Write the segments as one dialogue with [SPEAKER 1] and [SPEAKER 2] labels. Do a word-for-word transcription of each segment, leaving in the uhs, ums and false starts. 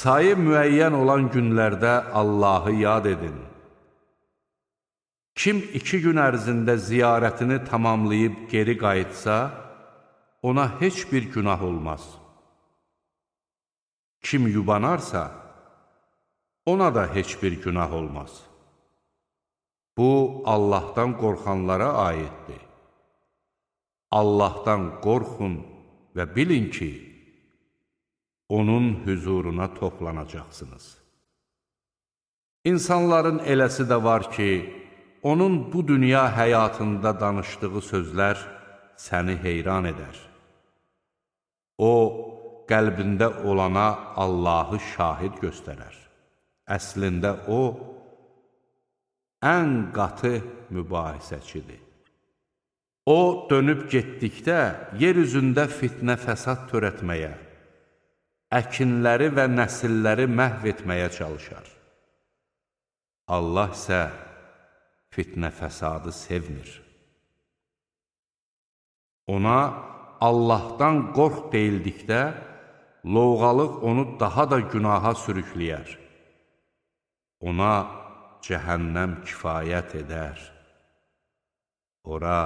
[SPEAKER 1] sayı müəyyən olan günlərdə Allahı yad edin. Kim iki gün ərzində ziyarətini tamamlayıb geri qayıtsa, ona heç bir günah olmaz. Kim yubanarsa, ona da heç bir günah olmaz. Bu, Allahdan qorxanlara aiddir. Allahdan qorxun və bilin ki, onun hüzuruna toplanacaqsınız. İnsanların eləsi də var ki, onun bu dünya həyatında danışdığı sözlər səni heyran edər. O, qəlbində olana Allahı şahid göstərər. Əslində o, ən qatı mübahisəçidir. O, dönüb getdikdə yer üzündə fitnə fəsad törətməyə, əkinləri və nəsilləri məhv etməyə çalışar. Allah isə fitnə fəsadı sevmir. Ona Allahdan qorx deyildikdə, lovğalıq onu daha da günaha sürükləyər. Ona cəhənnəm kifayət edər. Ora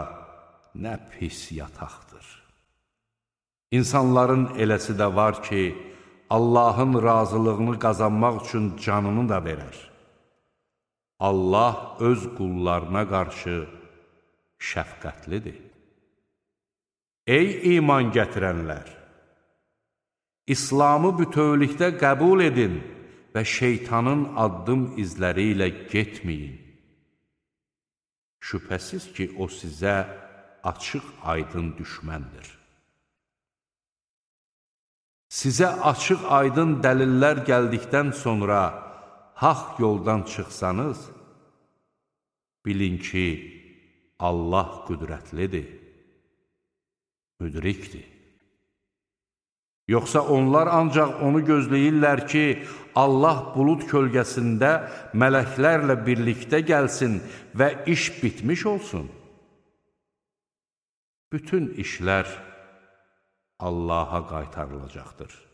[SPEAKER 1] nə pis yataqdır. İnsanların eləsi də var ki, Allahın razılığını qazanmaq üçün canını da verər. Allah öz qullarına qarşı şəfqətlidir. Ey iman gətirənlər! İslamı bütövlükdə qəbul edin və şeytanın addım izləri ilə getməyin. Şübhəsiz ki, o sizə açıq aydın düşməndir. Sizə açıq aydın dəlillər gəldikdən sonra haqq yoldan çıxsanız, bilin ki, Allah qüdrətlidir, müdrikdir. Yoxsa onlar ancaq onu gözləyirlər ki, Allah bulud kölgəsində mələklərlə birlikdə gəlsin və iş bitmiş olsun. Bütün işlər Allaha qaytarılacaqdır.